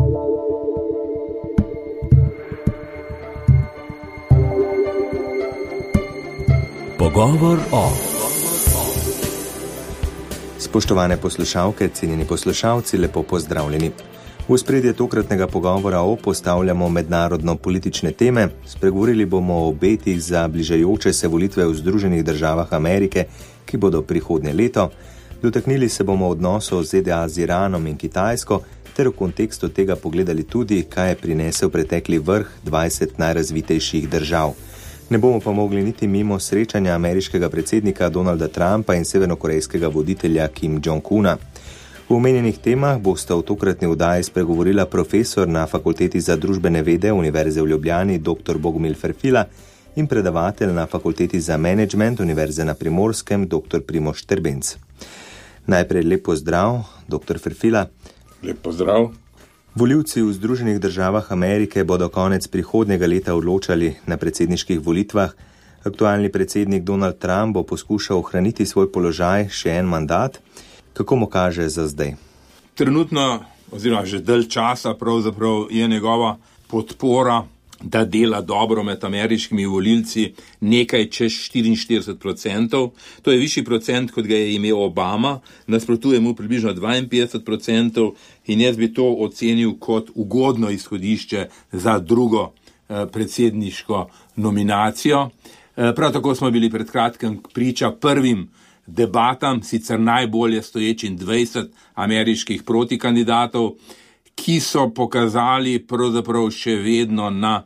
Pogovor o. Spoštovane poslušalke, cenjeni poslušalci, lepo pozdravljeni. V ospredje tokratnega pogovora o postavljamo mednarodno politične teme. Spregovorili bomo o obetih za bližajoče se volitve v Združenih državah Amerike, ki bodo prihodnje leto. Dotaknili se bomo odnosov ZDA z Iranom in Kitajsko, ter v kontekstu tega pogledali tudi, kaj je prinesel pretekli vrh 20 najrazvitejših držav. Ne bomo pa mogli niti mimo srečanja ameriškega predsednika Donalda Trumpa in severnokorejskega voditelja Kim Jong-una. V omenjenih temah bosta v tokratni oddaji spregovorila profesor na Fakulteti za družbene vede Univerze v Ljubljani dr. Bogomil Ferfila in predavatelj na Fakulteti za menedžment Univerze na Primorskem dr. Primož Terbenc. Najprej lep pozdrav, dr. Ferfila. Lep pozdrav. Volivci v Združenih državah Amerike bodo konec prihodnjega leta odločali na predsedniških volitvah. Aktualni predsednik Donald Trump bo poskušal ohraniti svoj položaj še en mandat. Kako mu kaže za zdaj? Trenutno, oziroma že dalj časa pravzaprav je njegova podpora, da dela dobro med ameriškimi volilci, nekaj čez 44%. To je višji procent, kot ga je imel Obama, nasprotuje mu približno 52% in jaz bi to ocenil kot ugodno izhodišče za drugo predsedniško nominacijo. Prav tako smo bili pred kratkim priča prvim debatam, sicer najbolje stoječim 20 ameriških protikandidatov, ki so pokazali pravzaprav še vedno na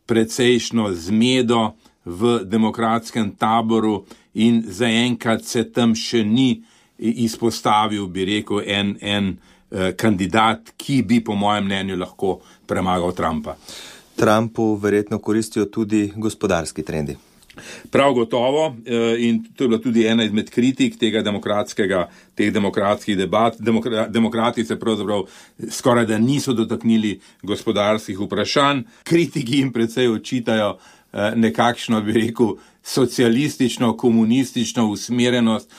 precejšno zmedo v demokratskem taboru in zaenkrat se tam še ni izpostavil, bi rekel, en kandidat, ki bi po mojem mnenju lahko premagal Trumpa. Trumpu verjetno koristijo tudi gospodarski trendi. Prav gotovo, in to je bila tudi ena izmed kritik teh demokratskih debat. Demokrati se pravzaprav skoraj da niso dotaknili gospodarskih vprašanj. Kritiki jim precej očitajo nekakšno, bi rekel, socialistično, komunistično usmerjenost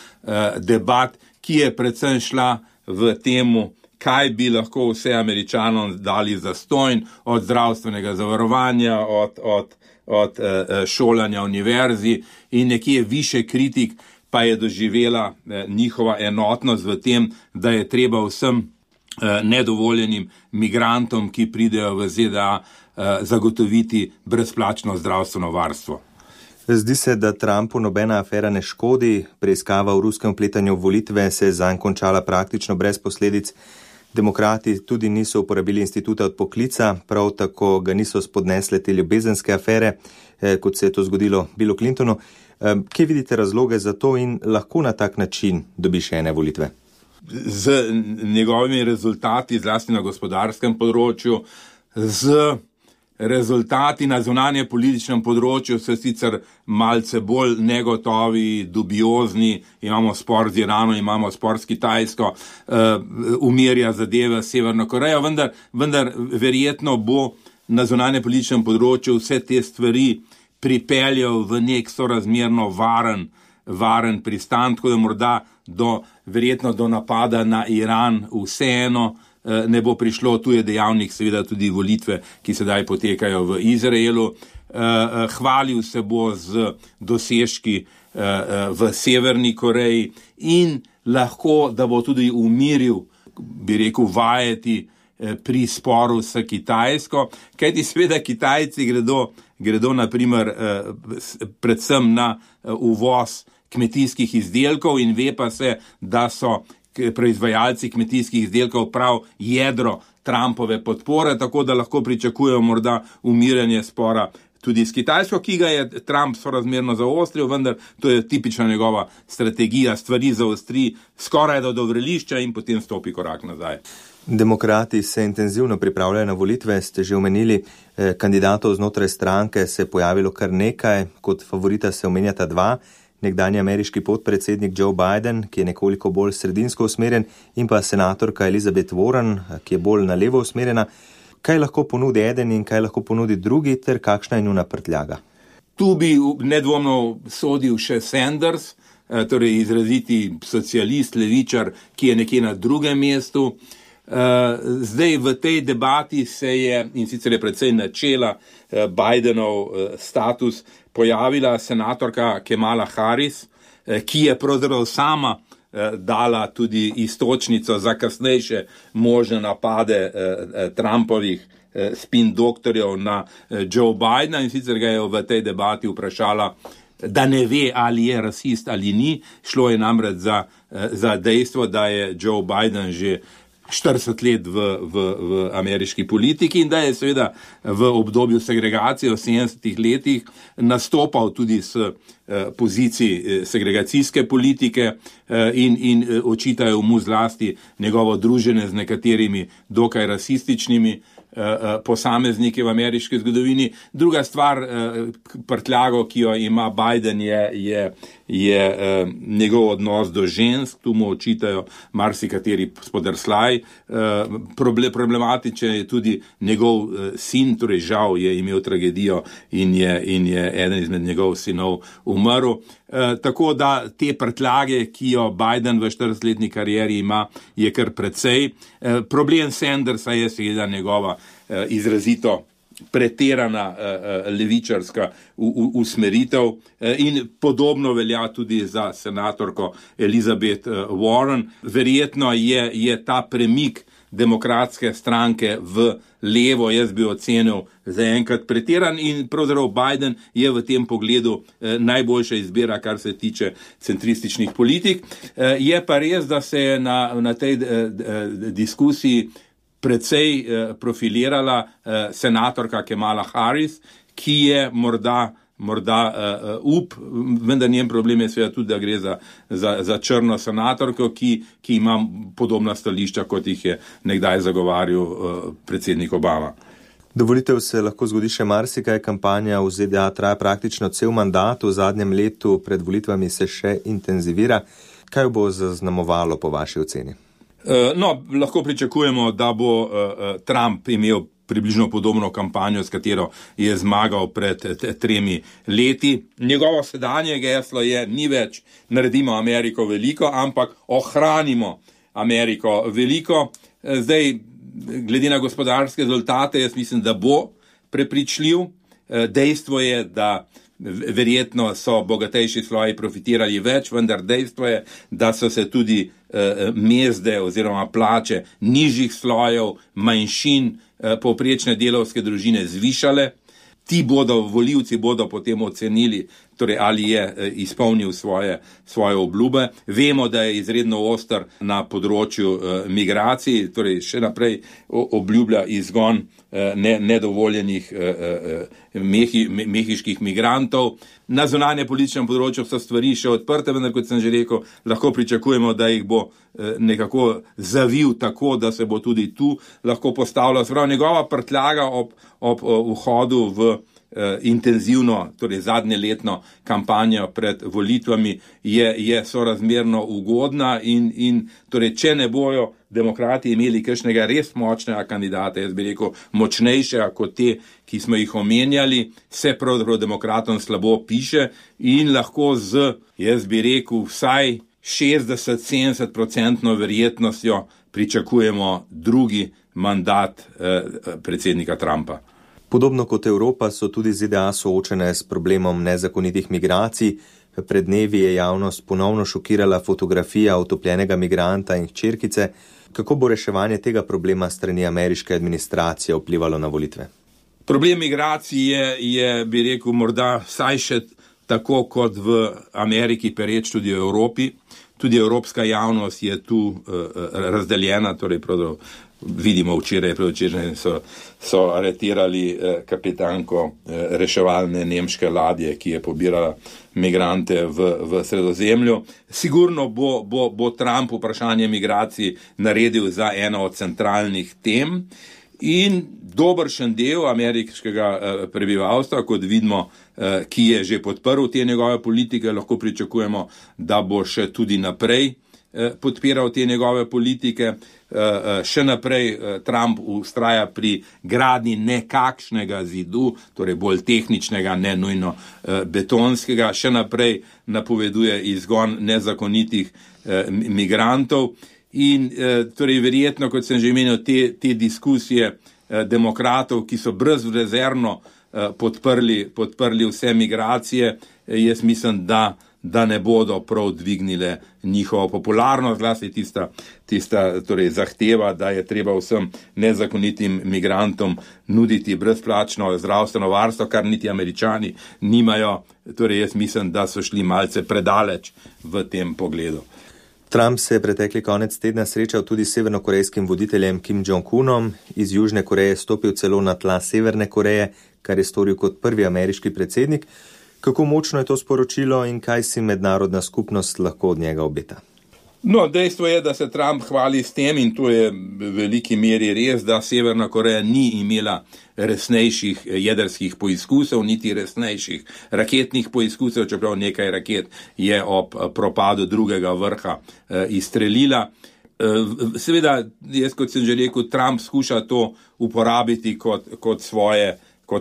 debat, ki je predvsem šla v temu, kaj bi lahko vse Američanom dali zastonj, od zdravstvenega zavarovanja, od šolanja univerzi, in nekje više kritik pa je doživela njihova enotnost v tem, da je treba vsem nedovoljenim migrantom, ki pridejo v ZDA, zagotoviti brezplačno zdravstveno varstvo. Zdi se, da Trumpu nobena afera ne škodi. Preiskava v ruskem vpletanju v volitve se je zanj končala praktično brez posledic. Demokrati tudi niso uporabili instituta odpoklica, prav tako ga niso spodnesle te ljubezenske afere, kot se je to zgodilo Billu Clintonu. Kje vidite razloge za to in lahko na tak način dobi še ene volitve? Z njegovimi rezultati, zlasti na gospodarskem področju, z rezultati na zunanje političnem področju so sicer malce bolj negotovi, dubiozni, imamo spor z Iranom, imamo spor s Kitajsko, umirja zadeve Severno Korejo, vendar verjetno bo na zunanje političnem področju vse te stvari pripeljal v nek sorazmerno varen pristan, tako da morda verjetno do napada na Iran vseeno ne bo prišlo. Tu je dejavnik seveda tudi volitve, ki sedaj potekajo v Izraelu. Hvalil se bo z dosežki v Severni Koreji in lahko, da bo tudi umiril, bi rekel, vajeti pri sporu s Kitajsko, kajti seveda Kitajci gredo naprimer predvsem na uvoz kmetijskih izdelkov in ve pa se, da so proizvajalci kmetijskih izdelkov prav jedro Trumpove podpore, tako da lahko pričakujejo morda umiranje spora tudi s Kitajsko, ki ga je Trump sorazmerno zaostril, vendar to je tipična njegova strategija, stvari zaostri skoraj do vrelišča in potem stopi korak nazaj. Demokrati se intenzivno pripravljajo na volitve, ste že omenili, kandidatov znotraj stranke se je pojavilo kar nekaj, kot favorita se omenjata dva. Nekdanji ameriški podpredsednik Joe Biden, ki je nekoliko bolj sredinsko usmerjen, in pa senatorka Elizabeth Warren, ki je bolj na levo usmerjena. Kaj lahko ponudi eden in kaj lahko ponudi drugi, ter kakšna je njuna prtljaga? Tu bi nedvomno sodil še Sanders, torej izraziti socialist, levičar, ki je nekje na drugem mestu. Zdaj v tej debati se je, in sicer je precej načela Bidenov status, pojavila senatorka Kamala Harris, ki je pravzaprav sama dala tudi iztočnico za kasnejše možne napade Trumpovih spin doktorjev na Joe Bidena, in sicer ga je v tej debati vprašala, da ne ve, ali je rasist ali ni. Šlo je namreč za dejstvo, da je Joe Biden že 40 let v ameriški politiki in da je seveda v obdobju segregacije v 70 letih nastopal tudi s poziciji segregacijske politike in očitajo mu zlasti njegovo druženje z nekaterimi dokaj rasističnimi posamezniki v ameriški zgodovini. Druga stvar, prtljago, ki jo ima Biden, je njegov odnos do žensk. Tu mu očitajo marsikateri spodrsljaj. Problematičen je tudi njegov sin, torej žal je imel tragedijo in je eden izmed njegov sinov umrl. Tako da te prtljage, ki jo Biden v 40-letni karieri ima, je kar precej. Problem Sandersa je seveda njegova izrazito pretirana levičarska usmeritev in podobno velja tudi za senatorko Elizabeth Warren. Verjetno je ta premik demokratske stranke v levo, jaz bi ocenil zaenkrat pretiran in pravzaprav Biden je v tem pogledu najboljša izbira, kar se tiče centrističnih politik. Je pa res, da se je na tej diskusiji precej profilirala senatorka Kamala Harris, ki je morda vendar njen problem je seveda tudi, da gre za črno senatorko, ki ima podobna stališča, kot jih je nekdaj zagovarjal predsednik Obama. Do volitev se lahko zgodi še marsikaj, kampanja v ZDA traja praktično cel mandat, v zadnjem letu pred volitvami se še intenzivira. Kaj bo zaznamovalo po vaši oceni? Lahko pričakujemo, da bo Trump imel približno podobno kampanjo, s katero je zmagal pred 3 leti. Njegovo sedanje geslo je ni več naredimo Ameriko veliko, ampak ohranimo Ameriko veliko. Zdaj, glede na gospodarske rezultate, jaz mislim, da bo prepričljiv. Dejstvo je, da verjetno so bogatejši sloji profitirali več, vendar dejstvo je, da so se tudi mezde oziroma plače nižjih slojev, manjšin, povprečne delavske družine zvišale. Volivci bodo potem ocenili, torej ali je izpolnil svoje obljube. Vemo, da je izredno oster na področju migracij, torej še naprej obljublja izgon nedovoljenih mehiških migrantov. Na zunanje političnem področju so stvari še odprte, vendar, kot sem že rekel, lahko pričakujemo, da jih bo nekako zavil tako, da se bo tudi tu lahko postavljal. Sprav njegova prtljaga ob vhodu v intenzivno, torej zadnjeletno kampanjo pred volitvami je sorazmerno ugodna in torej, če ne bojo demokrati imeli kakšnega res močnega kandidata, jaz bi rekel močnejšega kot te, ki smo jih omenjali, se pravzaprav demokratom slabo piše in lahko jaz bi rekel, vsaj 60-70% verjetnostjo pričakujemo drugi mandat predsednika Trumpa. Podobno kot Evropa so tudi ZDA soočene s problemom nezakonitih migracij. Pred dnevi je javnost ponovno šokirala fotografija utopljenega migranta in hčerkice. Kako bo reševanje tega problema strani ameriške administracije vplivalo na volitve? Problem migracij je, bi rekel, morda vsaj še tako kot v Ameriki pereč tudi v Evropi. Tudi evropska javnost je tu razdeljena, torej vidimo včeraj so aretirali kapitanko reševalne nemške ladje, ki je pobirala migrante v Sredozemlju. Sigurno bo Trump vprašanje migracij naredil za eno od centralnih tem in dobršen del ameriškega prebivalstva, kot vidimo, ki je že podprl te njegove politike, lahko pričakujemo, da bo še tudi naprej podpiral te njegove politike. Še naprej Trump vztraja pri gradnji nekakšnega zidu, torej bolj tehničnega, ne nujno betonskega, še naprej napoveduje izgon nezakonitih migrantov in torej verjetno, kot sem že omenil, te diskusije demokratov, ki so brezrezervno podprli vse migracije, jaz mislim, da ne bodo prav dvignile njihovo popularnost, zlasti tista torej zahteva, da je treba vsem nezakonitim migrantom nuditi brezplačno zdravstveno varstvo, kar niti Američani nimajo. Torej jaz mislim, da so šli malce predaleč v tem pogledu. Trump se je pretekli konec tedna srečal tudi s severnokorejskim voditeljem Kim Jong-unom. Iz Južne Koreje stopil celo na tla Severne Koreje, kar je storil kot prvi ameriški predsednik. Kako močno je to sporočilo in kaj si mednarodna skupnost lahko od njega obeta? No, dejstvo je, da se Trump hvali s tem, in to je v veliki meri res, da Severna Koreja ni imela resnejših jedrskih poizkusov, niti resnejših raketnih poizkusov, čeprav nekaj raket je ob propadu drugega vrha izstrelila. Seveda, jaz kot sem že rekel, Trump skuša to uporabiti kot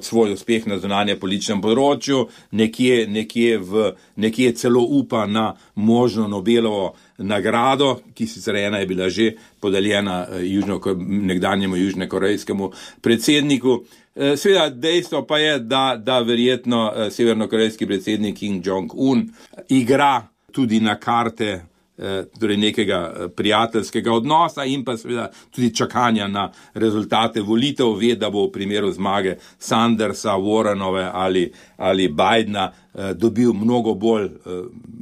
svoj uspeh na zunanje političnem področju, nekje celo upa na možno Nobelovo nagrado, ki sicer ena je bila že podeljena nekdanjemu južnokorejskemu predsedniku. Seveda dejstvo pa je, da verjetno severnokorejski predsednik Kim Jong-un igra tudi na karte torej nekega prijateljskega odnosa in pa seveda tudi čakanja na rezultate volitev. Ve, da bo v primeru zmage Sandersa, Warrenove ali Bidena dobil mnogo bolj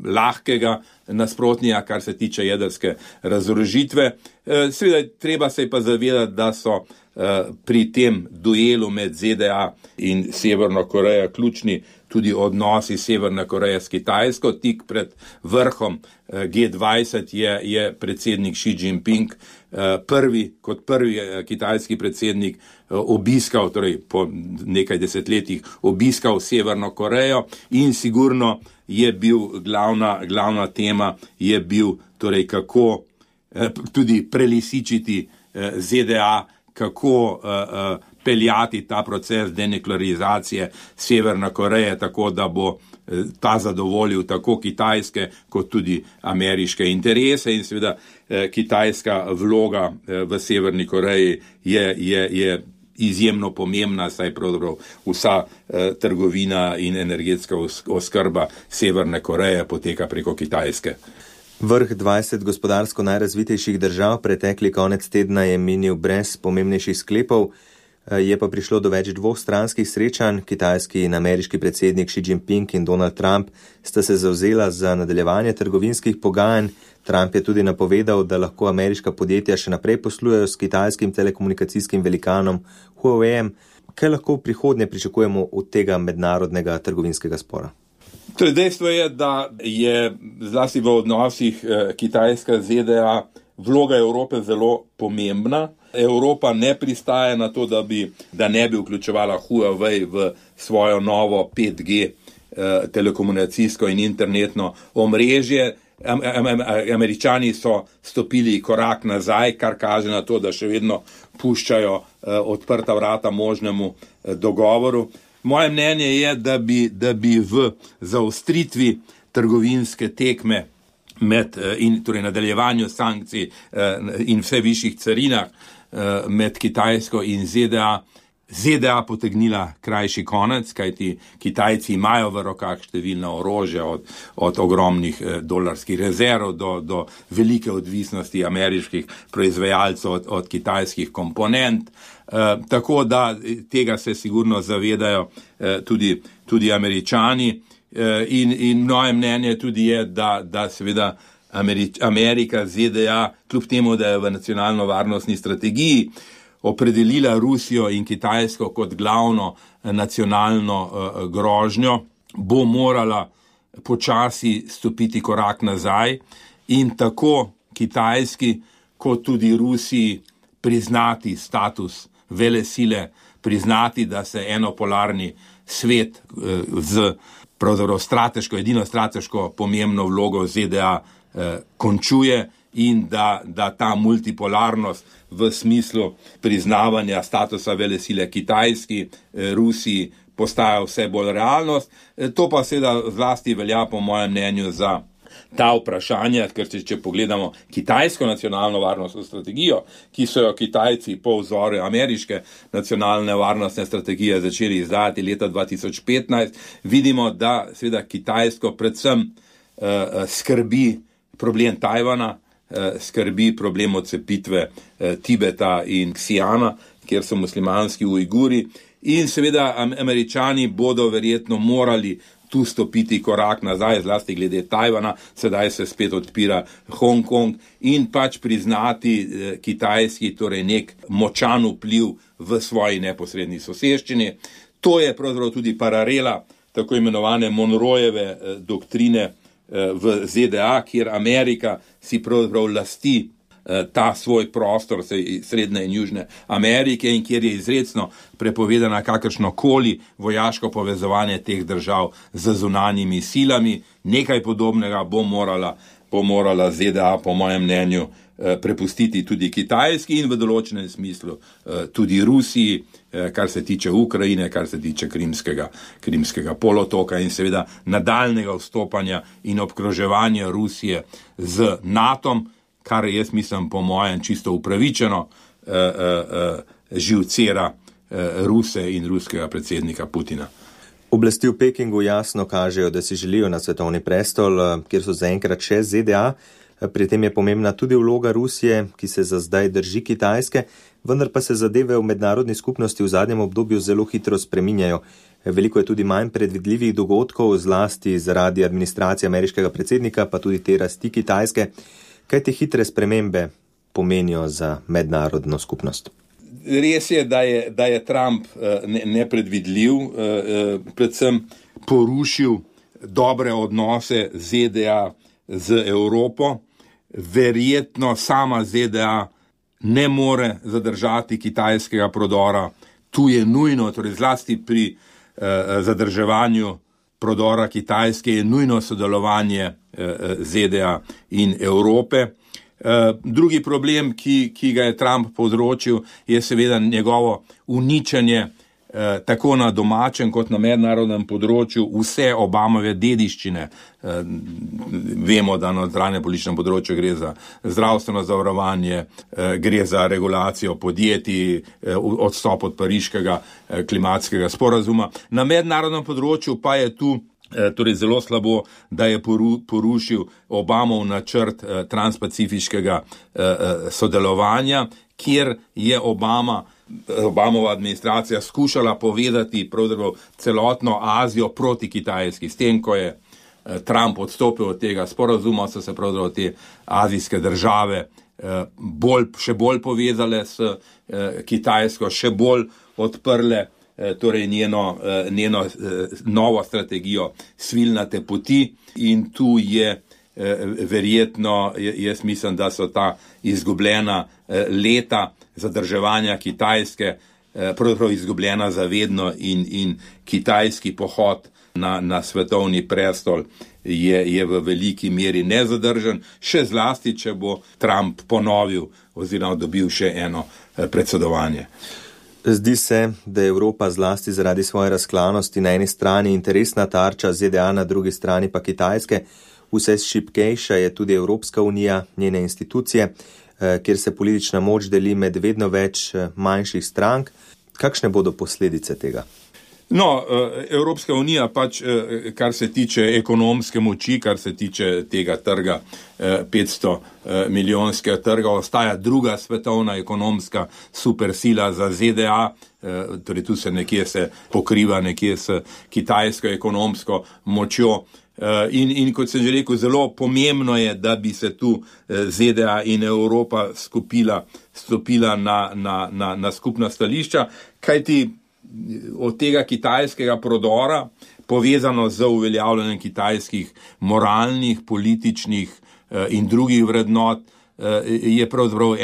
lahkega nasprotnija, kar se tiče jedrske razorožitve. Seveda treba se pa zavedati, da so pri tem duelu med ZDA in Severno Korejo ključni tudi odnosi Severne Koreje s Kitajsko. Tik pred vrhom G20 je predsednik Xi Jinping kot prvi kitajski predsednik obiskal, torej po nekaj desetletjih obiskal Severno Korejo, in sigurno je bil glavna tema je bil torej kako tudi prelisičiti ZDA, kako peljati ta proces denuklearizacije Severne Koreje, tako da bo ta zadovoljil tako kitajske kot tudi ameriške interese. In seveda kitajska vloga v Severni Koreji je izjemno pomembna, saj pravzaprav vsa trgovina in energetska oskrba Severne Koreje poteka preko Kitajske. Vrh 20 gospodarsko najrazvitejših držav pretekli konec tedna je minil brez pomembnejših sklepov, je pa prišlo do več dvostranskih srečanj. Kitajski in ameriški predsednik Xi Jinping in Donald Trump sta se zavzela za nadaljevanje trgovinskih pogajanj. Trump je tudi napovedal, da lahko ameriška podjetja še naprej poslujejo s kitajskim telekomunikacijskim velikanom Huaweijem. Kaj lahko v prihodnje pričakujemo od tega mednarodnega trgovinskega spora? Torej, dejstvo je, da je zlasti v odnosih Kitajska ZDA vloga Evrope zelo pomembna. Evropa ne pristaja na to, da ne bi vključevala Huawei v svojo novo 5G telekomunikacijsko in internetno omrežje. Američani so stopili korak nazaj, kar kaže na to, da še vedno puščajo odprta vrata možnemu dogovoru. Moje mnenje je, da bi v zaostritvi trgovinske tekme in torej nadaljevanju sankcij in vse višjih carinah med Kitajsko in ZDA potegnila krajši konec, kajti Kitajci imajo v rokah številna orožja, od ogromnih dolarskih rezerv do velike odvisnosti ameriških proizvajalcev od kitajskih komponent. Tako da tega se sigurno zavedajo tudi Američani, in moje mnenje tudi je, da seveda Amerika, ZDA, kljub temu, da je v nacionalno varnostni strategiji opredelila Rusijo in Kitajsko kot glavno nacionalno grožnjo, bo morala počasi stopiti korak nazaj in tako Kitajski kot tudi Rusiji priznati status velesile, priznati, da se enopolarni svet z pravzaprav edino strateško pomembno vlogo ZDA končuje in da ta multipolarnost v smislu priznavanja statusa velesile Kitajski, Rusiji postaja vse bolj realnost. To pa seveda zlasti velja po mojem mnenju za ta vprašanja, ker če pogledamo kitajsko nacionalno varnostno strategijo, ki so jo Kitajci po vzoru ameriške nacionalne varnostne strategije začeli izdajati leta 2015, vidimo, da seveda kitajsko predvsem skrbi problem Tajvana, skrbi problem odcepitve Tibeta in Ksiana, kjer so muslimanski Ujguri, in seveda Američani bodo verjetno morali tu stopiti korak nazaj, zlasti glede Tajvana, sedaj se spet odpira Hongkong in pač priznati kitajski, torej nek močan vpliv v svoji neposredni soseščini. To je pravzaprav tudi paralela tako imenovane Monroejeve doktrine v ZDA, kjer Amerika si pravzaprav lasti ta svoj prostor Srednje in Južne Amerike in kjer je izrecno prepovedana kakršnokoli vojaško povezovanje teh držav z zunanjimi silami. Nekaj podobnega bo morala ZDA, po mojem mnenju, prepustiti tudi Kitajski in v določenem smislu tudi Rusiji, kar se tiče Ukrajine, kar se tiče Krimskega polotoka in seveda nadaljnega vstopanja in obkroževanja Rusije z NATO-om, kar jaz mislim po mojem čisto upravičeno živcera Ruse in ruskega predsednika Putina. Oblasti v Pekingu jasno kažejo, da si želijo na svetovni prestol, kjer so zaenkrat še ZDA. Pri tem je pomembna tudi vloga Rusije, ki se za zdaj drži Kitajske, vendar pa se zadeve v mednarodni skupnosti v zadnjem obdobju zelo hitro spreminjajo. Veliko je tudi manj predvidljivih dogodkov, zlasti zaradi administracije ameriškega predsednika, pa tudi te rasti Kitajske. Kaj te hitre spremembe pomenijo za mednarodno skupnost? Res je, da je Trump nepredvidljiv, predvsem porušil dobre odnose ZDA z Evropo. Verjetno sama ZDA ne more zadržati kitajskega prodora. Tu je nujno, torej zlasti pri zadrževanju prodora Kitajske je nujno sodelovanje ZDA in Evrope. Drugi problem, ki ga je Trump povzročil, je seveda njegovo uničenje tako na domačem kot na mednarodnem področju vse Obamove dediščine. Vemo, da na notranjem političnem področju gre za zdravstveno zavarovanje, gre za regulacijo podjetij, odstop od pariškega klimatskega sporazuma. Na mednarodnem področju pa je tu torej zelo slabo, da je porušil Obamov načrt transpacifiškega sodelovanja, kjer je Obamova administracija skušala povedati pravzaprav celotno Azijo proti Kitajski. S tem, ko je Trump odstopil od tega sporazuma, so se pravzaprav te azijske države še bolj povezale s Kitajsko, še bolj odprle torej njeno novo strategijo svilnate poti in tu je verjetno, jaz mislim, da so ta izgubljena leta zadrževanja Kitajske pravzaprav izgubljena zavedno in kitajski pohod na svetovni prestol je v veliki meri nezadržen, še zlasti, če bo Trump ponovil oziroma dobil še eno predsedovanje. Zdi se, da je Evropa zlasti zaradi svoje razklanosti na eni strani interesna tarča ZDA, na drugi strani pa Kitajske. Vse šibkejša je tudi Evropska unija, njene institucije, kjer se politična moč deli med vedno več manjših strank. Kakšne bodo posledice tega? No, Evropska unija pač, kar se tiče ekonomske moči, kar se tiče tega trga, 500 milijonskega trga, ostaja druga svetovna ekonomska supersila za ZDA, torej tu se pokriva nekje s kitajsko ekonomsko močjo. In kot sem že rekel, zelo pomembno je, da bi se tu ZDA in Evropa stopila na skupna stališča, kajti od tega kitajskega prodora, povezano z uveljavljanjem kitajskih moralnih, političnih in drugih vrednot, je pravzaprav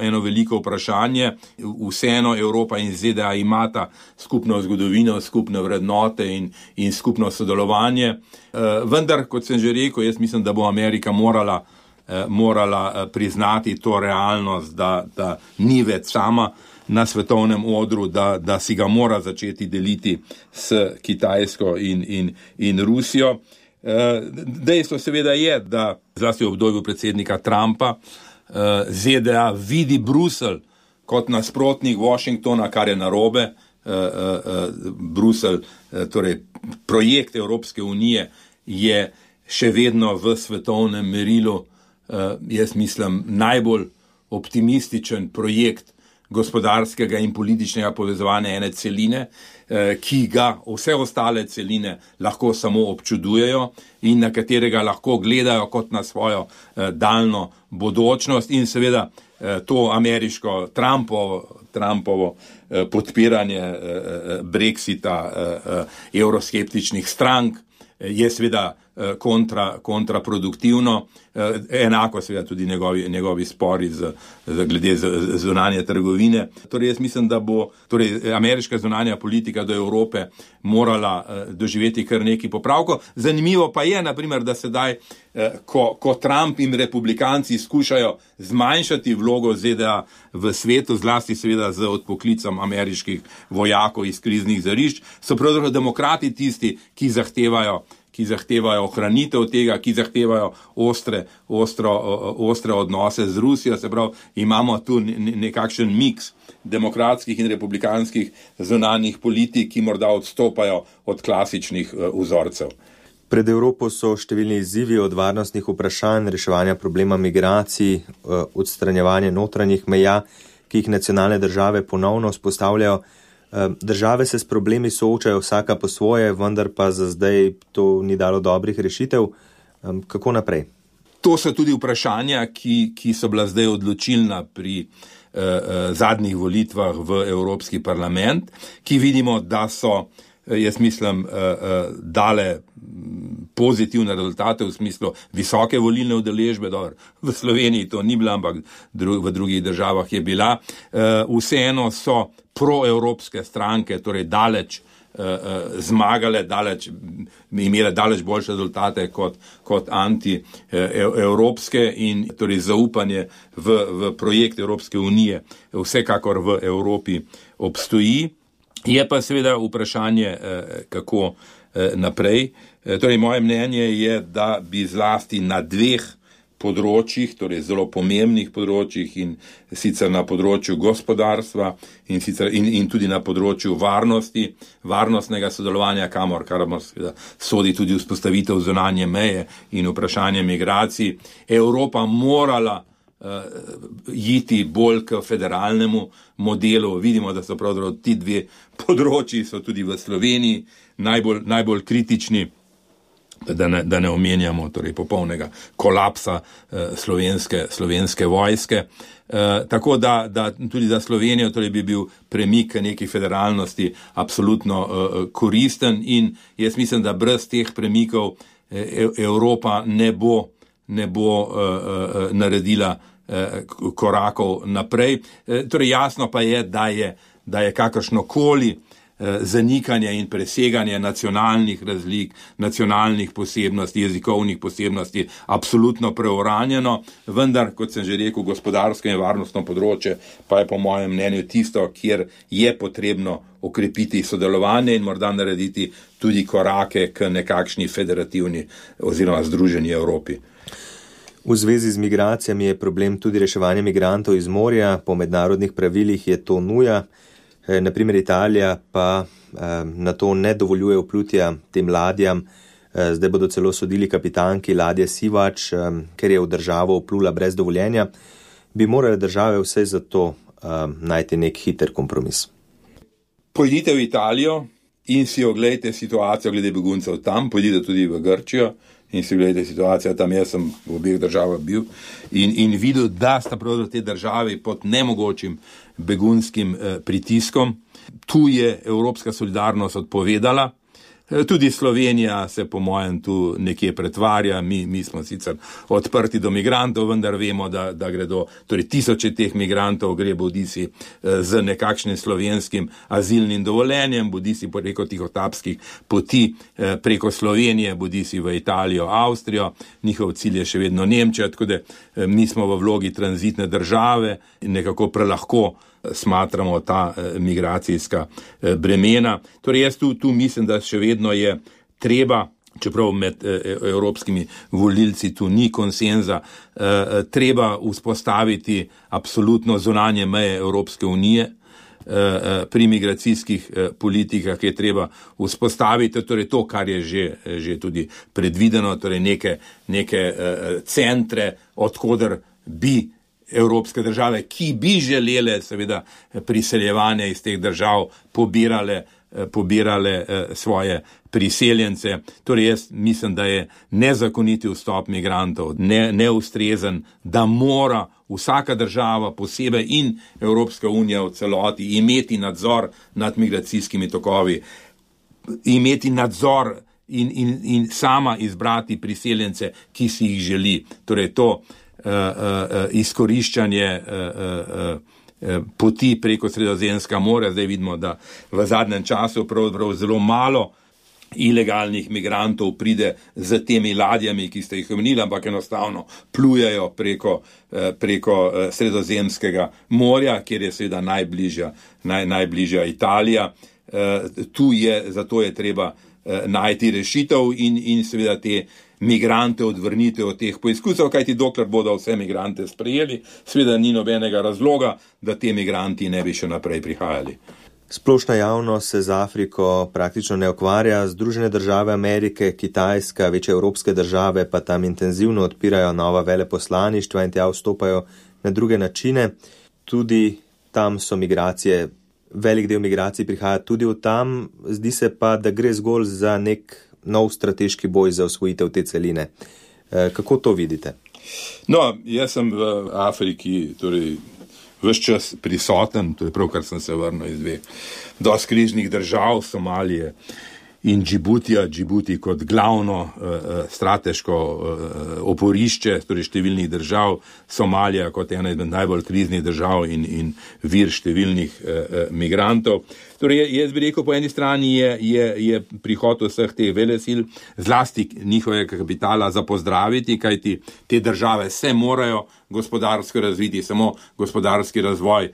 eno veliko vprašanje. Vseeno Evropa in ZDA imata skupno zgodovino, skupne vrednote in skupno sodelovanje. Vendar, kot sem že rekel, jaz mislim, da bo Amerika morala priznati to realnost, da ni več sama na svetovnem odru, da si ga mora začeti deliti s Kitajsko in Rusijo. Dejstvo seveda je, da zlasti v obdobju predsednika Trumpa ZDA vidi Bruselj kot nasprotnik Washingtona, kar je narobe. Bruselj, torej projekt Evropske unije, je še vedno v svetovnem merilu, jaz mislim, najbolj optimističen projekt gospodarskega in političnega povezovanja ene celine, ki ga vse ostale celine lahko samo občudujejo in na katerega lahko gledajo kot na svojo daljno bodočnost in seveda to ameriško Trumpovo podpiranje Brexita, evroskeptičnih strank je seveda kontraproduktivno, enako seveda tudi njegovi spori glede zunanje trgovine. Torej jaz mislim, da bo ameriška zunanja politika do Evrope morala doživeti kar nekaj popravkov. Zanimivo pa je, naprimer, da sedaj, ko Trump in republikanci skušajo zmanjšati vlogo ZDA v svetu, zlasti seveda z odpoklicom ameriških vojakov iz kriznih žarišč, so pravzaprav demokrati tisti, ki zahtevajo ohranitev tega, ki zahtevajo ostre odnose z Rusijo. Se pravi, imamo tu nekakšen miks demokratskih in republikanskih zunanjih politik, ki morda odstopajo od klasičnih vzorcev. Pred Evropo so številni izzivi, od varnostnih vprašanj, reševanja problema migracij, odstranjevanja notranjih meja, ki jih nacionalne države ponovno vzpostavljajo. Države se s problemi soočajo vsaka po svoje, vendar pa za zdaj to ni dalo dobrih rešitev. Kako naprej? To so tudi vprašanja, ki so bila zdaj odločilna pri zadnjih volitvah v Evropski parlament, ki vidimo, da so, jaz mislim, dale pozitivne rezultate v smislu visoke volilne udeležbe. V Sloveniji to ni bila, ampak v drugih državah je bila. Vseeno so proevropske stranke, torej daleč zmagale, imele daleč boljše rezultate kot anti-evropske in torej zaupanje v projekt Evropske unije vsekakor v Evropi obstoji. Je pa seveda vprašanje, kako naprej. Torej, moje mnenje je, da bi zlasti na dveh področjih, torej zelo pomembnih področjih in sicer na področju gospodarstva in tudi na področju varnostnega sodelovanja, kamor sodi tudi vzpostavitev zunanje meje in vprašanje migracij, Evropa morala iti bolj k federalnemu modelu. Vidimo, da so pravzaprav ti dve področji so tudi v Sloveniji najbolj kritični, da ne omenjamo torej popolnega kolapsa slovenske vojske. Tako da tudi za Slovenijo torej bi bil premik k neki federalnosti absolutno koristen in jaz mislim, da brez teh premikov Evropa ne bo naredila korakov naprej. Torej jasno pa je, da je kakršnokoli zanikanje in preseganje nacionalnih razlik, nacionalnih posebnosti, jezikovnih posebnosti absolutno preuranjeno, vendar, kot sem že rekel, gospodarsko in varnostno področje pa je po mojem mnenju tisto, kjer je potrebno okrepiti sodelovanje in morda narediti tudi korake k nekakšni federativni oziroma združeni Evropi. V zvezi z migracijami je problem tudi reševanje migrantov iz morja. Po mednarodnih pravilih je to nuja. Naprimer Italija pa na to ne dovoljuje vplutja tem ladjam. Zdaj bodo celo sodili kapitanki ladje Sivač, ker je v državo vplula brez dovoljenja. Bi morale države vse za to najti nek hiter kompromis. Pojdite v Italijo in si oglejte situacijo glede beguncev tam, pojdite tudi v Grčijo in si gledajte situacijo tam. Jaz sem v obeh državah bil in videl, da sta pravzaprav te države pod nemogočim begunskim pritiskom. Tu je evropska solidarnost odpovedala. Tudi Slovenija se po mojem tu nekje pretvarja, mi smo sicer odprti do migrantov, vendar vemo, da gredo, torej tisoče teh migrantov gre bodisi z nekakšnim slovenskim azilnim dovoljenjem, bodisi preko tihotapskih poti preko Slovenije, bodisi v Italijo, Avstrijo, njihov cilj je še vedno Nemčija, tako da mi smo v vlogi tranzitne države in nekako prelahko smatramo ta migracijska bremena. Torej jaz tu mislim, da še vedno je treba čeprav med evropskimi volilci tu ni konsenza, treba vzpostaviti absolutno zunanje meje Evropske unije. Pri migracijskih politikah je treba vzpostaviti torej to, kar je že tudi predvideno, torej neke centre, odkoder bi evropske države, ki bi želele seveda priseljevanje iz teh držav, pobirale svoje priseljence. Torej jaz mislim, da je nezakoniti vstop migrantov neustrezen, da mora vsaka država posebej in Evropska unija v celoti imeti nadzor nad migracijskimi tokovi, imeti nadzor in sama izbrati priseljence, ki si jih želi. Torej to izkoriščanje poti preko Sredozemskega morja. Zdaj vidimo, da v zadnjem času pravzaprav zelo malo ilegalnih migrantov pride z temi ladjami, ki ste jih omenili, ampak enostavno plujejo preko Sredozemskega morja, kjer je seveda najbližja Italija. Zato je treba najti rešitev in seveda te migrante odvrniti od teh poizkusov, kajti dokler bodo vse migrante sprejeli, seveda ni nobenega razloga, da te migranti ne bi še naprej prihajali. Splošna javnost se z Afriko praktično ne ukvarja. Združene države Amerike, Kitajska, večje evropske države pa tam intenzivno odpirajo nova veleposlaništva in tja vstopajo na druge načine. Tudi tam so migracije, velik del migracij prihaja tudi od tam. Zdi se pa, da gre zgolj za nek nov strateški boj za osvojitev te celine. Kako to vidite? No, jaz sem v Afriki, torej ves čas prisoten, to je prav, kar sem se vrnil iz dveh doskrižnih držav, Somalije in Džibutija. Džibuti kot glavno strateško oporišče, torej številnih držav, Somalija kot ena izmed najbolj kriznih držav in vir številnih migrantov. Torej, jaz bi rekel, po eni strani je prihod vseh teh velesil, zlasti njihovega kapitala, za pozdraviti, kajti te države se morajo gospodarsko razviti, samo gospodarski razvoj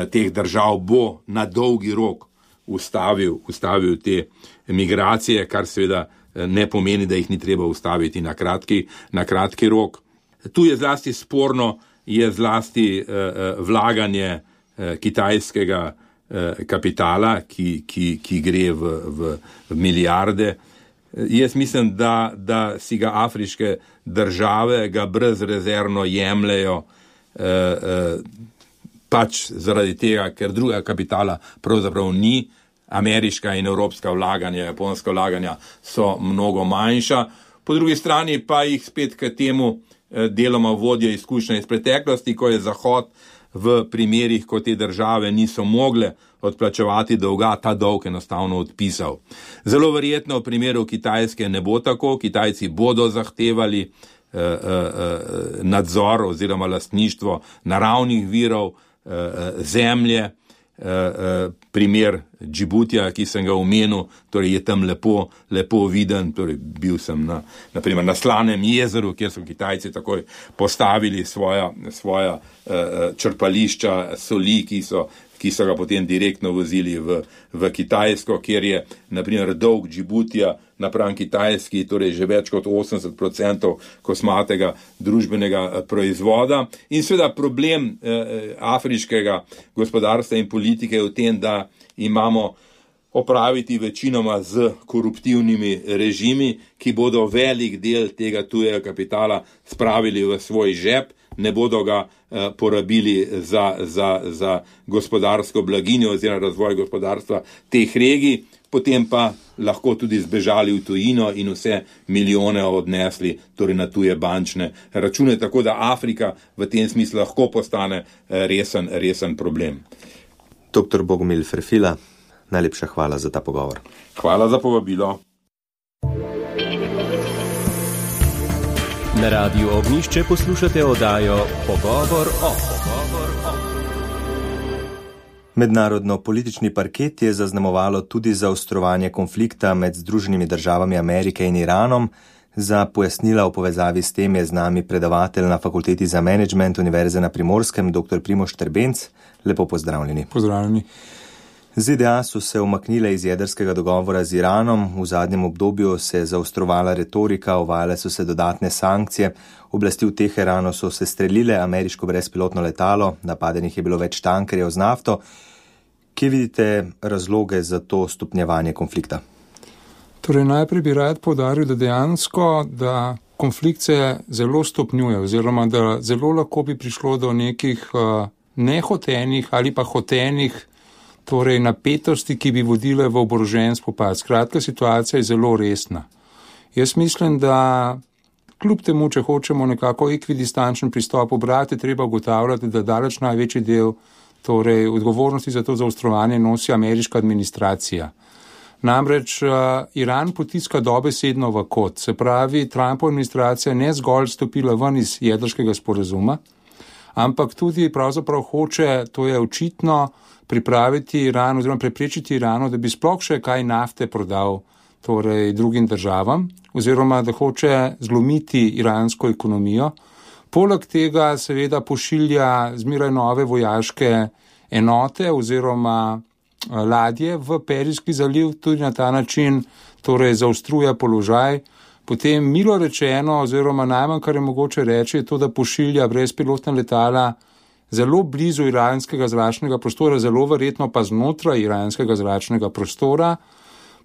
teh držav bo na dolgi rok ustavil te migracije, kar seveda ne pomeni, da jih ni treba ustaviti na kratki rok. Tu je zlasti sporno, vlaganje kitajskega kapitala, ki gre v milijarde. Jaz mislim, da si ga afriške države ga brezrezervno jemljejo, pač zaradi tega, ker druga kapitala pravzaprav ni. Ameriška in evropska vlaganja, japonska vlaganja so mnogo manjša. Po drugi strani pa jih spet k temu deloma vodijo izkušnje iz preteklosti, ko je Zahod v primerih, ko te države niso mogle odplačevati dolga, ta dolg enostavno odpisal. Zelo verjetno v primeru Kitajske ne bo tako. Kitajci bodo zahtevali nadzor oziroma lastništvo naravnih virov, zemlje. Primer Džibutija, ki sem ga omenil, torej je tam lepo viden, torej bil sem naprimer na Slanem jezeru, kjer so Kitajci takoj postavili svoja črpališča soli, ki so ga potem direktno vozili v Kitajsko, kjer je naprimer dolg Džibutija napram Kitajski, torej že več kot 80% kosmatega družbenega proizvoda. In seveda problem afriškega gospodarstva in politike je v tem, da imamo opraviti večinoma z koruptivnimi režimi, ki bodo velik del tega tujega kapitala spravili v svoj žep, ne bodo ga porabili za gospodarsko blaginjo oziroma razvoj gospodarstva teh regij, potem pa lahko tudi zbežali v tujino in vse milijone odnesli torej na tuje bančne račune, tako da Afrika v tem smislu lahko postane resen problem. Dr. Bogomil Ferfila, najlepša hvala za ta pogovor. Hvala za povabilo. Na Radiu Ognjišče poslušate oddajo Pogovor o. Mednarodno-politični parket je zaznamovalo tudi zaostrovanje konflikta med Združenimi državami Amerike in Iranom. Za pojasnila v povezavi s tem je z nami predavatelj na Fakulteti za menedžment Univerze na Primorskem, dr. Primož Trbenc. Lepo pozdravljeni. Pozdravljeni. ZDA so se umaknile iz jedrskega dogovora z Iranom, v zadnjem obdobju se je zaostrovala retorika, uvajale so se dodatne sankcije, oblasti v Teheranu so se streljile ameriško brezpilotno letalo, napadenih je bilo več tankerjev z nafto. Kje vidite razloge za to stopnjevanje konflikta? Torej, najprej bi rad poudaril, da dejansko, da konflikt se zelo stopnjuje, oziroma da zelo lahko bi prišlo do nekih nehotenih ali pa hotenih torej napetosti, ki bi vodile v oborožen spopad. Skratka, situacija je zelo resna. Jaz mislim, da kljub temu, če hočemo nekako ekvidistančen pristop obrati, treba ugotavljati, da daleč največji del torej odgovornosti za to zaostrovanje nosi ameriška administracija. Namreč Iran potiska dobesedno v kot. Se pravi, Trumpova administracija ne zgolj stopila ven iz jedrskega sporazuma, ampak tudi pravzaprav hoče, to je očitno, pripraviti Iran oziroma preprečiti Iranu, da bi sploh še kaj nafte prodal torej drugim državam, oziroma da hoče zlomiti iransko ekonomijo. Poleg tega seveda pošilja zmeraj nove vojaške enote oziroma ladje v Perijski zaliv, tudi na ta način torej zaostruje položaj. Potem milo rečeno oziroma najmanj, kar je mogoče reči, je to, da pošilja brezpilotna letala zelo blizu iranskega zračnega prostora, zelo verjetno pa znotraj iranskega zračnega prostora.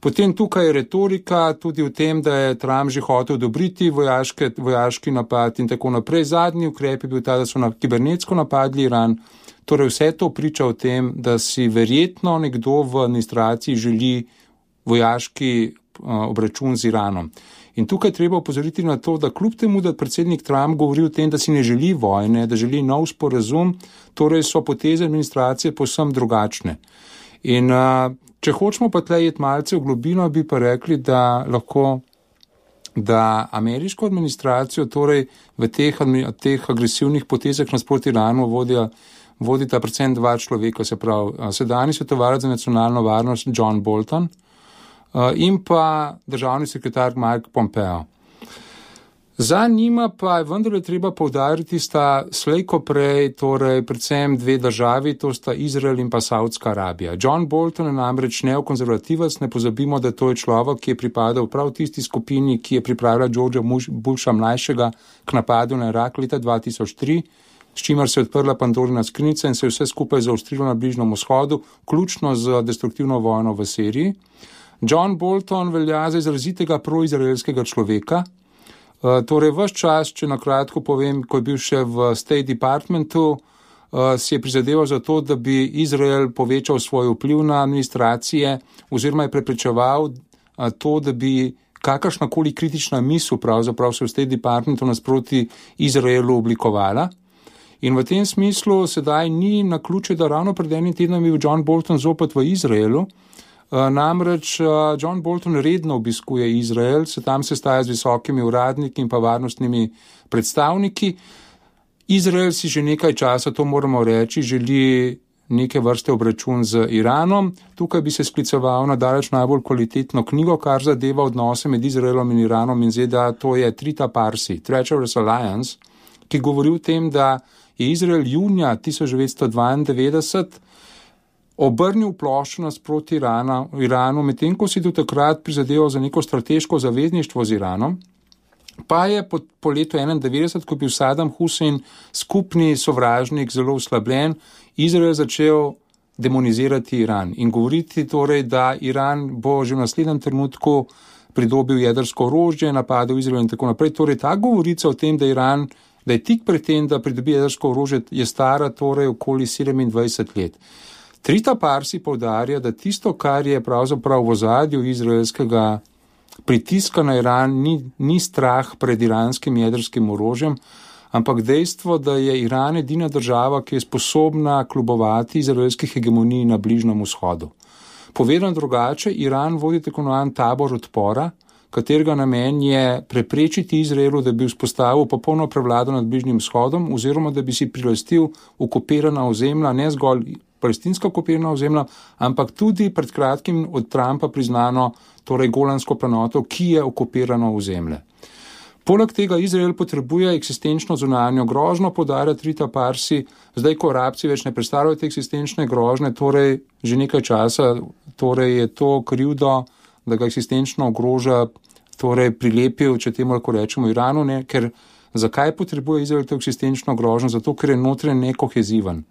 Potem tukaj je retorika tudi v tem, da je Trump že hotel odobriti vojaški napad in tako naprej. Zadnji ukrep je bil ta, da so kibernetsko napadli Iran. Torej vse to priča o tem, da si verjetno nekdo v administraciji želi vojaški obračun z Iranom. In tukaj treba opozoriti na to, da kljub temu, da predsednik Trump govori o tem, da si ne želi vojne, da želi nov sporazum, torej so poteze administracije povsem drugačne. In če hočemo pa tle iti malce v globino, bi pa rekli, da lahko, da ameriško administracijo torej v teh agresivnih potezah nasproti Iranu vodita predvsem dva človeka, se pravi sedanji svetovalec za nacionalno varnost John Bolton in pa državni sekretar Mike Pompeo. Za njima pa je vendarle treba poudariti, sta slejko prej, torej predvsem dve državi, to sta Izrael in pa Saudska Arabija. John Bolton je namreč neokonzervativec, ne pozabimo, da to je človek, ki je pripadal prav tisti skupini, ki je pripravila Georgea Busha mlajšega k napadu na Irak leta 2003, s čimer se je odprla Pandorina skrinjica in se je vse skupaj zaostrilo na Bližnjem vzhodu, vključno z destruktivno vojno v Siriji. John Bolton velja za izrazitega proizraelskega človeka. Torej, ves čas, če na kratko povem, ko je bil še v State Departmentu, si je prizadeval za to, da bi Izrael povečal svoj vpliv na administracije oziroma je preprečeval to, da bi kakršnakoli kritična misel pravzaprav se v State Departmentu nasproti Izraelu oblikovala. In v tem smislu sedaj ni naključje, da ravno pred enim tednom je bil John Bolton zopet v Izraelu. Namreč John Bolton redno obiskuje Izrael, se tam sestaja z visokimi uradniki in pa varnostnimi predstavniki. Izrael si že nekaj časa, to moramo reči, želi neke vrste obračun z Iranom. Tukaj bi se skliceval na daleč najbolj kvalitetno knjigo, kar zadeva odnose med Izraelom in Iranom in ZDA, to je Trita Parsi, Treacherous Alliance, ki govori o tem, da je Izrael junija 1992 obrnil ploščnost proti Iranu, medtem ko si do takrat prizadeval za neko strateško zavezništvo z Iranom, pa je po letu 1991, ko je bil Saddam Hussein skupni sovražnik zelo oslabljen, Izrael začel demonizirati Iran in govoriti torej, da Iran bo že v naslednjem trenutku pridobil jedrsko orožje, napadel Izrael in tako naprej. Torej ta govorica o tem, da je tik pred tem, da pridobi jedrsko orožje, je stara torej okoli 27 let. Trita Parsi poudarja, da tisto, kar je pravzaprav v ozadju izraelskega pritiska na Iran, ni strah pred iranskim jedrskim orožjem, ampak dejstvo, da je Iran edina država, ki je sposobna kljubovati izraelski hegemoniji na Bližnjem vzhodu. Povedano drugače, Iran vodi tako imenovan tabor odpora, katerega namen je preprečiti Izraelu, da bi vzpostavil popolno prevlado nad Bližnjim vzhodom oziroma da bi si prilastil okupirana ozemlja, ne zgolj palestinska okupirana ozemlja, ampak tudi pred kratkim od Trumpa priznano, torej Golansko planoto, ki je okupirano ozemlje. Poleg tega Izrael potrebuje eksistenčno zunanjo grožnjo, poudarja Trita Parsi, zdaj ko Arabci več ne predstavljajo te eksistenčne grožnje, torej že nekaj časa, torej je to krivdo, da ga eksistenčno ogroža, torej prilepil, če temu lahko rečemo, Iranu, ne, ker zakaj potrebuje Izrael to eksistenčno grožnjo? Zato, ker je notranje nekoheziven.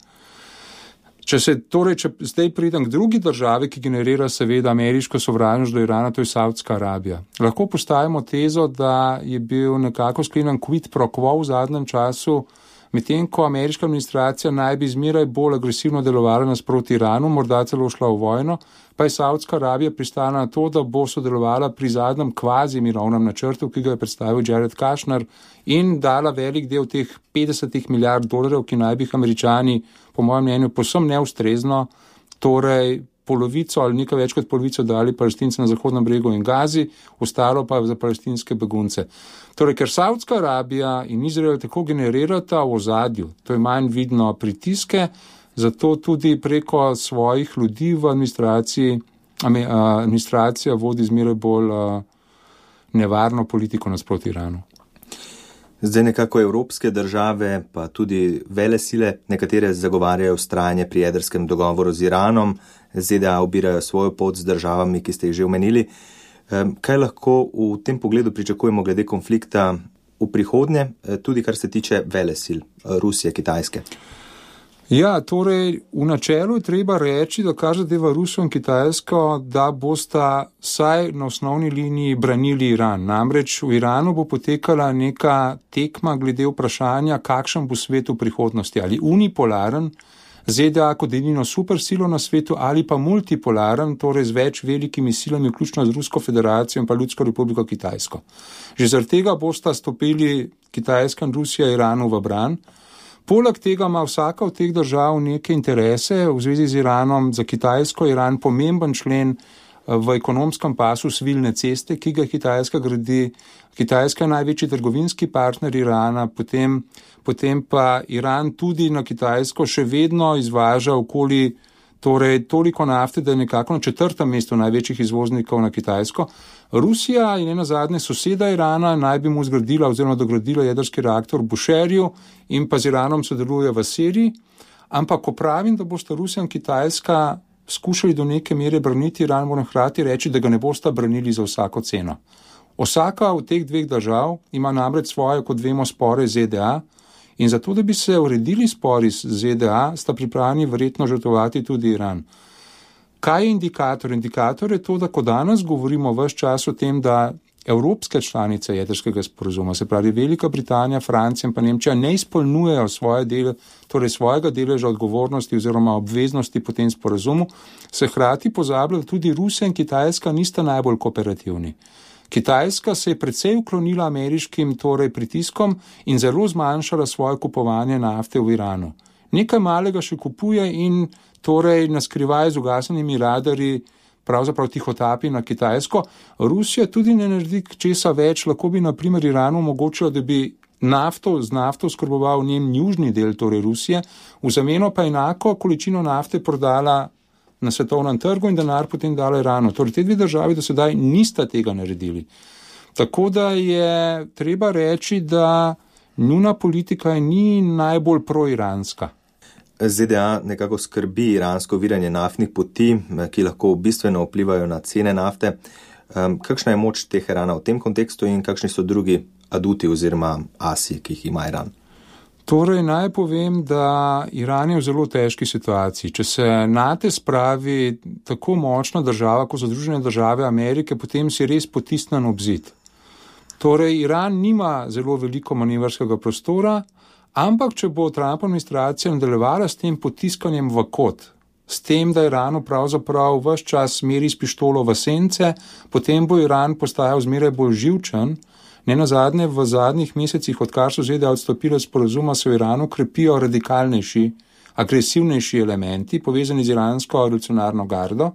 Če zdaj pridem k drugi državi, ki generira seveda ameriško sovražnost do Irana, to je Saudska Arabija. Lahko postavimo tezo, da je bil nekako sklenjen quid pro quo v zadnjem času, medtem ko ameriška administracija naj bi zmeraj bolj agresivno delovala nasproti Iranu, morda celo šla v vojno, pa je Saudska Arabija pristala na to, da bo sodelovala pri zadnjem kvazi mirovnem načrtu, ki ga je predstavil Jared Kushner, in dala velik del teh 50 milijard dolarjev, ki naj bi jih Američani, po mojem mnenju, povsem neustrezno, torej polovico ali nekaj več kot polovico dali Palestince na Zahodnem bregu in Gazi, ostalo pa za palestinske begunce. Torej, ker Saudska Arabija in Izrael tako generirata v ozadju, to je manj vidno pritiske, zato tudi preko svojih ljudi v administraciji, administracija vodi zmeraj bolj nevarno politiko nasproti Iranu. Zdaj nekako evropske države, pa tudi velesile, nekatere zagovarjajo vztrajanje pri jedrskem dogovoru z Iranom, ZDA obirajo svojo pot z državami, ki ste jih že omenili. Kaj lahko v tem pogledu pričakujemo glede konflikta v prihodnje, tudi kar se tiče velesil Rusije, Kitajske? Ja, torej v načelu je treba reči, da kar zadeva Rusijo in Kitajsko, da bosta vsaj na osnovni liniji branili Iran. Namreč v Iranu bo potekala neka tekma glede vprašanja, kakšen bo svet v prihodnosti, ali unipolaren, ZDA kot edino supersilo na svetu, ali pa multipolaren, torej z več velikimi silami, vključno z Rusko federacijo in pa Ljudsko republiko Kitajsko. Že zaradi tega bosta stopili Kitajska in Rusija Iranu v bran. Poleg tega ima vsaka od teh držav neke interese v zvezi z Iranom. Za Kitajsko je Iran pomemben člen v ekonomskem pasu svilne ceste, ki ga Kitajska gradi. Kitajska je največji trgovinski partner Irana, potem pa Iran tudi na Kitajsko še vedno izvaža okoli toliko nafte, da je nekako na 4. mestu največjih izvoznikov na Kitajsko. Rusija je nenazadnje soseda Irana, naj bi mu zgradila oziroma dogradila jedrski reaktor v Bushehrju in pa z Iranom sodeluje v Siriji. Ampak ko pravim, da bosta Rusija in Kitajska skušali do neke mere braniti Iran, moram hkrati reči, da ga ne bosta branili za vsako ceno. Vsaka od teh dveh držav ima namreč svoje, kot vemo, spore z ZDA. In zato, da bi se uredili spori z ZDA, sta pripravljeni verjetno žrtvovati tudi Iran. Kaj je indikator? Indikator je to, da ko danes govorimo ves čas o tem, da evropske članice jedrskega sporazuma, se pravi Velika Britanija, Francija in pa Nemčija, ne izpolnjujejo svojega deleža odgovornosti oziroma obveznosti po tem sporazumu, se hkrati pozablja, da tudi Rusija in Kitajska nista najbolj kooperativni. Kitajska se je precej uklonila ameriškim pritiskom in zelo zmanjšala svoje kupovanje nafte v Iranu. Nekaj malega še kupuje in na skrivaj z ugasnjenimi radarji pravzaprav tihotapi na Kitajsko. Rusija tudi ne naredi česa več, lahko bi na primer Iranu omogočila, da bi z nafto skrboval njen južni del, torej Rusije, v zameno pa enako količino nafte prodala na svetovnem trgu in denar potem dala Iranu. Torej, te dve državi do sedaj nista tega naredili. Tako da je treba reči, da njuna politika ni najbolj proiranska. ZDA nekako skrbi iransko viranje naftnih poti, ki lahko bistveno vplivajo na cene nafte. Kakšna je moč Teherana v tem kontekstu in kakšni so drugi aduti oziroma asi, ki jih ima Iran? Torej, naj povem, da Iran je v zelo težki situaciji. Če se nate spravi tako močna država, kot so Združene države Amerike, potem si res potisnen ob zid. Torej, Iran nima zelo veliko manevrskega prostora, ampak če bo Trumpova administracija nadaljevala s tem potiskanjem v kot, s tem, da Iranu pravzaprav ves čas meri s pištolo v sence, potem bo Iran postajal zmeraj bolj živčen. Nenazadnje v zadnjih mesecih, odkar so ZDA odstopile sporazuma, se v Iranu krepijo radikalnejši, agresivnejši elementi, povezani z iransko revolucionarno gardo.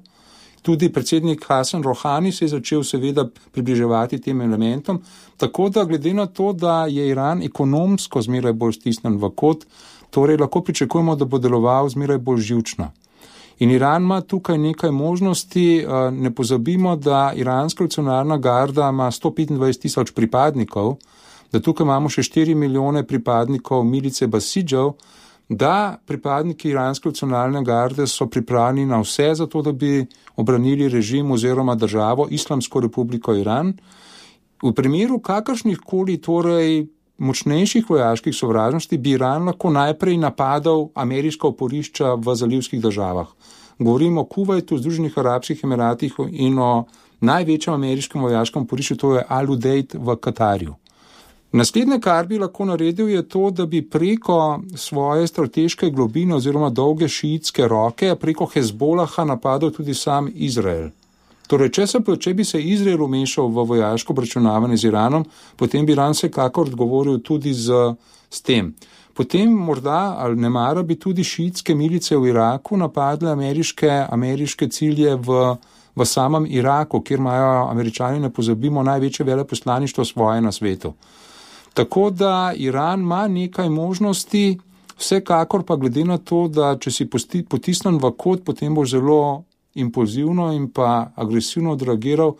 Tudi predsednik Hasan Rohani se je začel seveda približevati tem elementom, tako da glede na to, da je Iran ekonomsko zmeraj bolj stisnen v kot, torej lahko pričakujemo, da bo deloval zmeraj bolj živčno. In Iran ima tukaj nekaj možnosti, ne pozabimo, da iranska revolucionarna garda ima 125 000 pripadnikov, da tukaj imamo še 4 milijone pripadnikov milice Basidžev, da pripadniki iranske nacionalne garde so pripravljeni na vse za to, da bi obranili režim oziroma državo Islamsko republiko Iran. V primeru kakršnih koli torej močnejših vojaških sovražnosti bi Iran lahko najprej napadal ameriška oporišča v zalivskih državah. Govorimo o Kuvajtu, Združenih arabskih emiratih in o največjem ameriškem vojaškem oporišču, to je Al-Udeid v Katarju. Naslednje, kar bi lahko naredil, je to, da bi preko svoje strateške globine oziroma dolge šiitske roke preko Hezbolaha napadal tudi sam Izrael. Torej, če bi se Izrael umešal v vojaško obračunavanje z Iranom, potem bi Iran vsekakor odgovoril tudi s tem. Potem morda ali nemara bi tudi šiitske milice v Iraku napadle ameriške cilje v samem Iraku, kjer imajo Američani, ne pozabimo, največje veleposlaništvo svoje na svetu. Tako da Iran ima nekaj možnosti, vsekakor pa glede na to, da če si potisnen v kot, potem bo zelo impulzivno in pa agresivno odreagiral.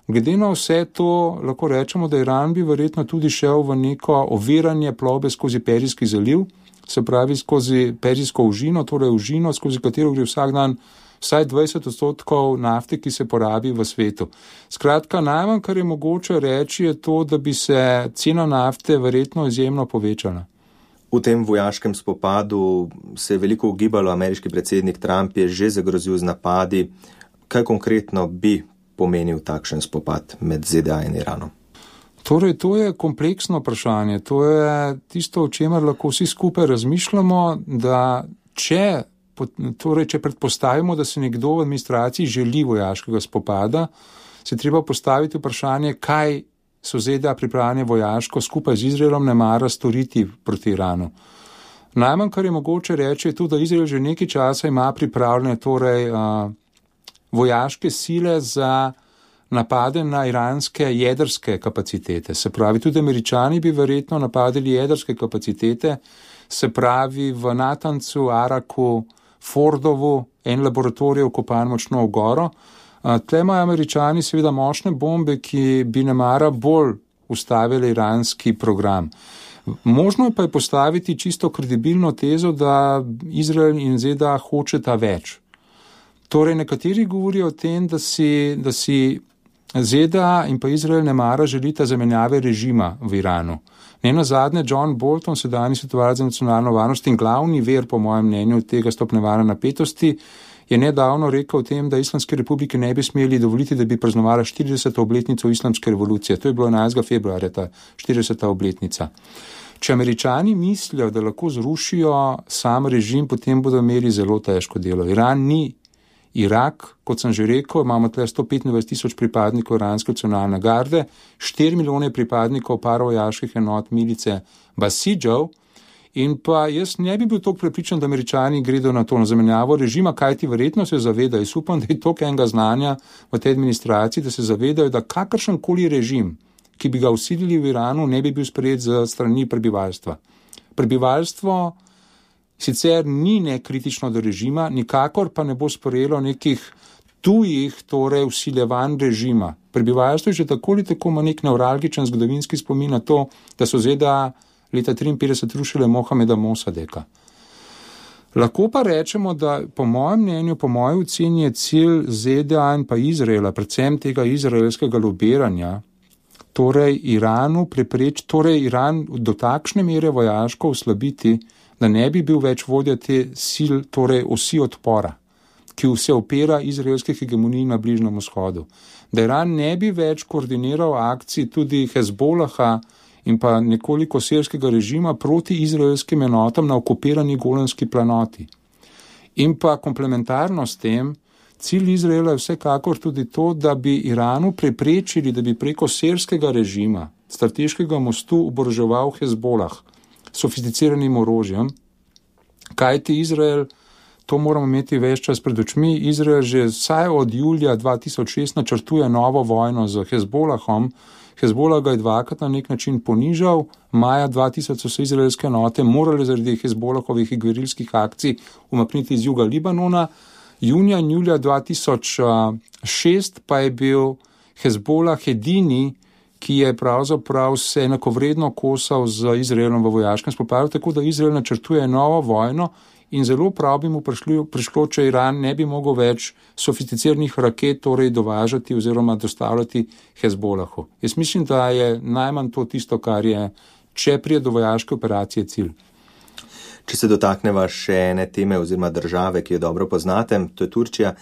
Glede na vse to lahko rečemo, da Iran bi verjetno tudi šel v neko oviranje plovbe skozi Perzijski zaliv, se pravi skozi Perzijsko užino, torej užino, skozi katero gre vsak dan vsaj 20% nafte, ki se porabi v svetu. Skratka, najmanj, kar je mogoče reči, je to, da bi se cena nafte verjetno izjemno povečala. V tem vojaškem spopadu se je veliko ugibalo, ameriški predsednik Trump je že zagrozil z napadi. Kaj konkretno bi pomenil takšen spopad med ZDA in Iranom? Torej, to je kompleksno vprašanje. To je tisto, o čemer lahko vsi skupaj razmišljamo, da če predpostavimo, da se nekdo v administraciji želi vojaškega spopada, se treba postaviti vprašanje, kaj so ZDA pripravljene vojaško skupaj z Izraelom nemara storiti proti Iranu. Najmanj, kar je mogoče reči, je tudi, da Izrael že nekaj časa ima pripravljene vojaške sile za napade na iranske jedrske kapacitete. Se pravi, tudi Američani bi verjetno napadili jedrske kapacitete, se pravi v Natancu, Araku, Fordovu, en laboratorij vkopan močno v goro. Tle imajo Američani seveda močne bombe, ki bi nemara bolj ustavili iranski program. Možno pa je postaviti čisto kredibilno tezo, da Izrael in ZDA hočeta več. Torej, nekateri govorijo o tem, da si ZDA in pa Izrael nemara želita zamenjave režima v Iranu. Nenazadnje John Bolton, sedanji svetovalec za nacionalno varnost in glavni vir, po mojem mnenju, tega stopnjevanja napetosti, je nedavno rekel o tem, da Islamske republike ne bi smeli dovoliti, da bi praznovala 40. obletnico islamske revolucije. To je bilo 11. februarja, ta 40. obletnica. Če Američani mislijo, da lahko zrušijo sam režim, potem bodo imeli zelo težko delo. Iran ni Irak, kot sem že rekel, imamo tle 125,000 pripadnikov iranske nacionalne garde, 4 milijone pripadnikov paravojaških enot milice Basidžev, in pa jaz ne bi bil toliko prepričan, da Američani gredo na to, na zamenjavo režima, kajti verjetno se zavedajo. Jaz upam, da je toliko enega znanja v tej administraciji, da se zavedajo, da kakršenkoli režim, ki bi ga usilili v Iranu, ne bi bil sprejet z strani prebivalstva. Prebivalstvo sicer ni nekritično do režima, nikakor pa ne bo sprejelo nekih tujih, torej usiljevanj režima. Prebivalstvo je že tako ali tako ima nek nevralgičen zgodovinski spomin na to, da so ZDA leta 1953 rušile Mohameda Mossadeka. Lahko pa rečemo, da po mojem mnenju, po moji oceni je cilj ZDA in pa Izraela, predvsem tega izraelskega lobiranja, torej Iranu Iran do takšne mere vojaško oslabiti, da ne bi bil več vodja te sil, torej osi odpora, ki se opira izraelske hegemoniji na Bližnjem vzhodu. Da Iran ne bi več koordiniral akcij tudi Hezbolaha in pa nekoliko sirskega režima proti izraelskim enotam na okupirani Golanski planoti. In pa komplementarno s tem, cilj Izraela je vsekakor tudi to, da bi Iranu preprečili, da bi preko sirskega režima, strateškega mostu oboroževal Hezbolah, sofisticiranim orožjem, kajti Izrael, to moramo imeti več čas pred očmi, Izrael že vsaj od julija 2006 načrtuje novo vojno z Hezbolahom. Hezbolah ga je dvakrat na nek način ponižal, maja 2000 so se izraelske enote morali zaradi Hezbolahovih gverilskih akcij umakniti iz juga Libanona, junija in julija 2006 pa je bil Hezbolah edini, ki je pravzaprav se enakovredno kosal z Izraelom v vojaškem spopadu, tako da Izrael načrtuje novo vojno in zelo prav bi mu prišlo, če Iran ne bi mogel več sofisticiranih raket torej dovažati oziroma dostavljati Hezbolahu. Jaz mislim, da je najmanj to tisto, kar je, če prije do vojaške operacije cilj. Če se dotakneva še ene teme oziroma države, ki jo dobro poznate, to je Turčija.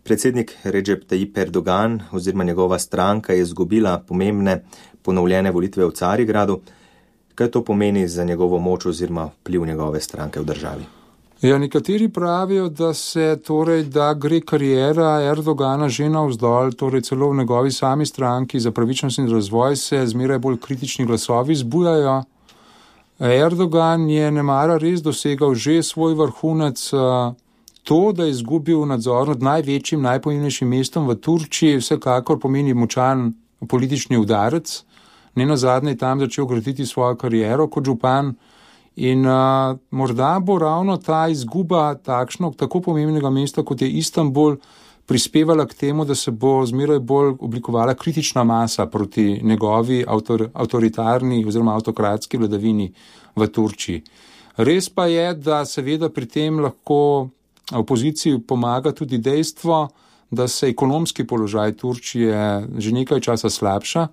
Predsednik Recep Tayyip Erdogan oziroma njegova stranka je izgubila pomembne ponovljene volitve v Carigradu. Kaj to pomeni za njegovo moč oziroma vpliv njegove stranke v državi? Ja, nekateri pravijo, da gre karijera Erdogana že navzdol, torej celo v njegovi sami stranki za pravičnost in razvoj se zmeraj bolj kritični glasovi zbujajo. Erdogan je nemara res dosegal že svoj vrhunec. To, da je izgubil nadzor nad največjim, najpomembnejšim mestom v Turčiji, vsekakor pomeni močan politični udarec. Nenazadnje je tam začel graditi svojo kariero kot župan in morda bo ravno ta izguba tako pomembnega mesta, kot je Istanbul, prispevala k temu, da se bo zmeraj bolj oblikovala kritična masa proti njegovi avtoritarni oziroma avtokratski vladavini v Turčiji. Res pa je, da seveda pri tem lahko opoziciji pomaga tudi dejstvo, da se ekonomski položaj Turčije že nekaj časa slabša,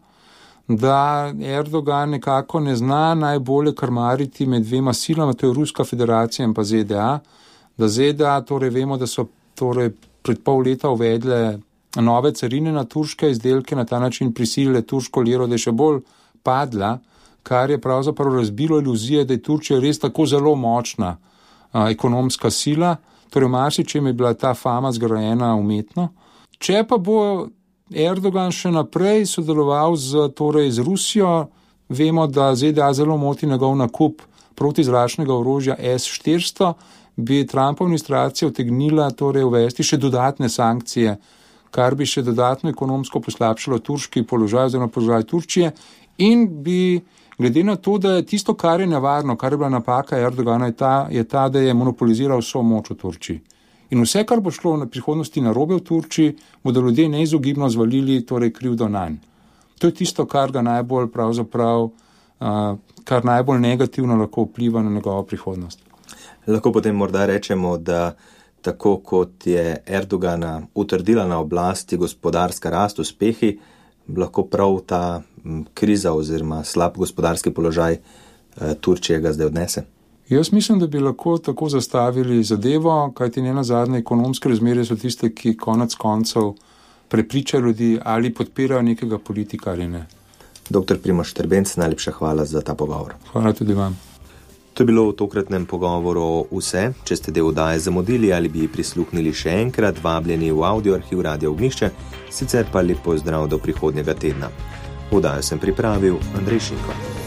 da Erdogan nekako ne zna najbolje krmariti med dvema silama, to je Ruska federacija in pa ZDA. Da ZDA, torej vemo, da so pred pol leta uvedle nove carine na turške izdelke, na ta način prisilile turško liro, da je še bolj padla, kar je pravzaprav razbilo iluzije, da je Turčija res tako zelo močna ekonomska sila. Torej, marsičem je bila ta fama zgrajena umetno. Če pa bo Erdogan še naprej sodeloval z Rusijo, vemo, da ZDA zelo moti njegov nakup protizračnega orožja S-400, bi Trumpova administracija utegnila uvesti še dodatne sankcije, kar bi še dodatno ekonomsko poslabšalo turški položaj oziroma položaj Turčije in bi, glede na to, da je tisto, kar je nevarno, kar je bila napaka Erdogana, je ta, da je monopoliziral vso moč v Turčiji. In vse, kar bo šlo na prihodnosti narobe v Turčiji, bodo ljudje neizogibno zvalili krivdo nanj. To je tisto, kar ga najbolj kar najbolj negativno lahko vpliva na njegovo prihodnost. Lahko potem morda rečemo, da tako kot je Erdogana utrdila na oblasti gospodarska rast, uspehi, lahko prav ta kriza oziroma slab gospodarski položaj Turčije ga zdaj odnese. Jaz mislim, da bi lahko tako zastavili zadevo, kajti nenazadnje ekonomske razmere so tiste, ki konec koncev prepričajo ljudi ali podpirajo nekega politika ali ne. Dr. Primož Štrbenc, najlepša hvala za ta pogovor. Hvala tudi vam. To je bilo v tokratnem pogovoru vse. Če ste del oddaje zamudili ali bi prisluhnili še enkrat, vabljeni v audio arhiv Radia Ognjišče, sicer pa lep pozdrav do prihodnjega tedna. Oddajo sem pripravil Andrej Šinko.